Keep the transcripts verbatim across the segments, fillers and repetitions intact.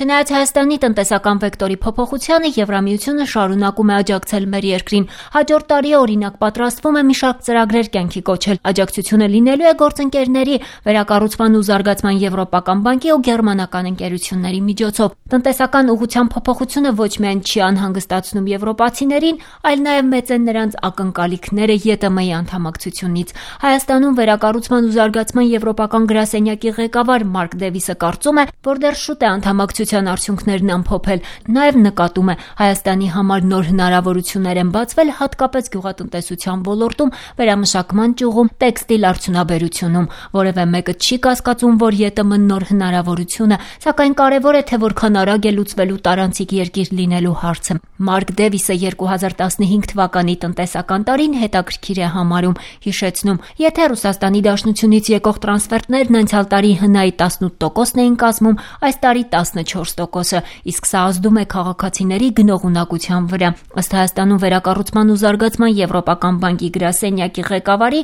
Չնայած Հայաստանի տնտեսական վեկտորի փոփոխությանը, Եվրամիությունը շարունակում է աջակցել մեր երկրին։ Հաջորդ տարի օրինակ պատրաստվում է մի շարք ծրագրեր կյանքի կոչել։ Աջակցությունը լինելու է գործընկերների, վերակառուցման ու զարգացման Եվրոպական բանկի ու գերմանական ընկերությունների միջոցով։ Տնտեսական ուղղության փոփոխությունը ոչ միայն չի անհանգստացնում եվրոպացիներին, այլ նաև մեծ են նրանց ակնկալիքները ԵՏՄ-ի անդամակցությունից։ Հայաստանում վերակառուցման ու զարգացման Եվրոպական գրասենյակի ղեկավար Մարկ Դեվիսը կարծում է, որ դեռ շուտ է անդամակցության արդյունքներն ամփոփել։ Նաև նկատում է, Հայաստանի համար նոր հնարավորություններ են բացվել հատկապես գյուղատնտեսության ոլորտում, վերամշակման ճյուղում, տեքստիլ արդյունաբերությունում։ Որևէ մեկը չի կասկածում, որ ԵՏՄ-ն նոր հնարավորություն է, սակայն կարևոր է, թե որքան արագ է լուծվելու տարանցիկ երկիր լինելու հարցը։ Մարկ Դեվիսը երկու հազար տասնհինգ թվականի տնտեսական տարին հետաքրքիր է համարում, հիշեցնում, եթե Ռուսաստանի Դաշնությունից եկող տրանսֆերտներն անցյալ տարի ՀՆԱ-ի տասնութ տոկոսն էին կազմում, այս տարի տասնչորս տոկոսը, իսկ սա ազդում է քաղաքացիների գնողունակության վրա։ Ըստ Հայաստանում վերակառուցման ու զարգացման Եվրոպական բանկի գրասենյակի ղեկավարի,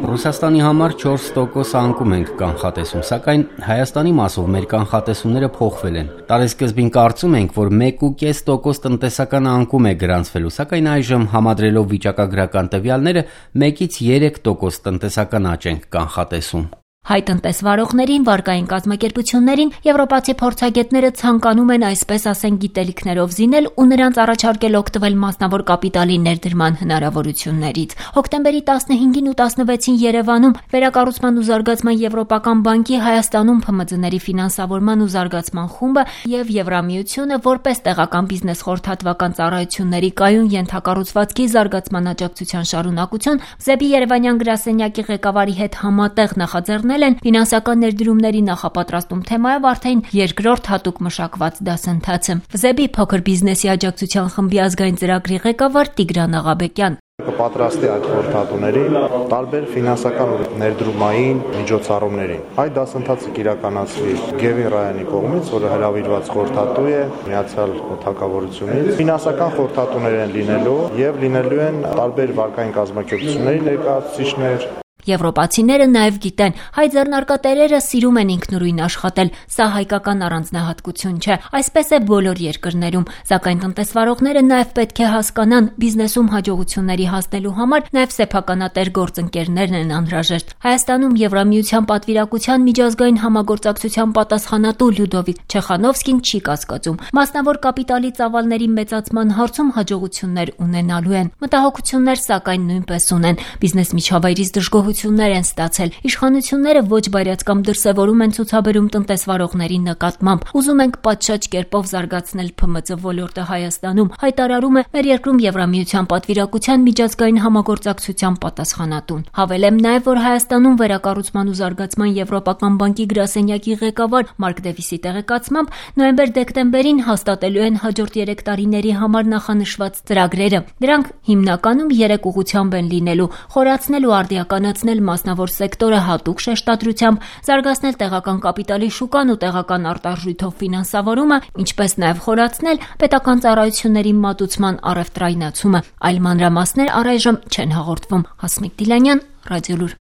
Ռուսաստանի համար չորս տոկոս անկում ենք կանխատեսում, սակայն Հայաստանի մասով մեր կանխատեսումները փոխվել են։ Տարեսկզբին կարծում ենք, որ մեկ ու կես տոկոս տնտեսական անկում է գրանցվելու, սակայն այժմ համադրելով վիճակագրական տվյալները մեկից երեք տոկոս տնտեսական աճ ենք կանխատեսում։ Հայ տնտեսվարողներին, վարկային կազմակերպություններին եվրոպացի փորձագետները ցանկանում են այսպես ասեն գիտելիքներով զինել ու նրանց առաջարկել օգտվել մասնավոր կապիտալի ներդրման հնարավորություններից։ Հոկտեմբերի տասնհինգին ու տասնվեցին Երևանում վերակառուցման ու զարգացման Եվրոպական բանկի Հայաստանում ՓՄԾ-ների ֆինանսավորման ու զարգացման խումբը եւ Եվրամիությունը որպես տեղական բիզնես խորհրդատվական ծառայությունների կայուն ենթակառուցվածքի զարգացման աջակցության շարունակություն ԶԵԲ-ի Երևանյան գրասենյակի ղեկավարի հետ համատեղ նախաձեռնել են ֆինանսական ներդրումների նախապատրաստում թեմայով արդեն երկրորդ հատուկ մշակված դասընթացը։ ԶԵԲ-ի փոքր բիզնեսի աջակցության խմբի ազգային ծրագրի ղեկավար Տիգրան Աղաբեկյան. Կպատրաստի այդ խորհրդատուներին տարբեր ֆինանսական ներդրումային միջոցառումներին։ Այդ դասընթացը կիրականացվի Գևին Ռայանի կողմից, որը հրավիրված խորհրդատու է Միացյալ Թագավորությունից։ Ֆինանսական խորհրդատուներ են լինելու եւ լինելու են տարբեր վարկային կազմակերպությունների ներկայացուցիչներ։ Եվրոպացիները նաև գիտեն, հայ ձեռնարկատերերը սիրում են ինքնուրույն աշխատել, սա հայկական առանձնահատկություն չէ, այսպես է բոլոր երկրներում, սակայն տնտեսվարողները նաև պետք է հասկանան, բիզնեսում հաջողությունների հասնելու համար նաև սեփականատեր գործընկերներն են անհրաժեշտ։ Հայաստանում Եվրամիության պատվիրակության միջազգային համագործակցության պատասխանատու Լյուդովիկ Չեխանովսկին չի կասկածում, մասնավոր կապիտալի ծավալների մեծացման հարցում հաջողություններ ունենալու են։ Մտահոգություններ սակայն նույնպես ունեն, բիզնես միջավայրից դժգոհություն են ստացել։ Իշխանությունները ոչ բարյաց կամ դրսևորում են ցուցաբերում տնտեսվարողների նկատմամբ։ Ուզում ենք պատշաճ կերպով զարգացնել ՓՄԾ ոլորտը Հայաստանում, հայտարարում է մեր երկրում Եվրամիության պատվիրակության միջազգային համագործակցության պատասխանատուն։ Հավելեմ նաև, որ Հայաստանում վերակառուցման ու զարգացման Եվրոպական բանկի գրասենյակի ղեկավար Մարկ Դեվիսի տեղեկացմամբ նոյեմբեր-դեկտեմբերին հաստատելու են հաջորդ երեք տարիների համար նախանշված ծրագրերը։ Դրանք հիմնականում երեք ուղղությամբ են լինելու՝ խորացնել ու արդիականացնել մասնավոր սեկտորը հատուկ շեշտադրությամբ, զարգացնել տեղական կապիտալի շուկան ու տեղական արտարժույթով ֆինանսավորումը, ինչպես նաև խորացնել պետական ծառայությունների մատուցման առևտրայնացումը։ Այլ մանրամասներ առայժմ չեն հաղորդվում։ Հասմիկ Դիլանյան, Ռադիոլուր։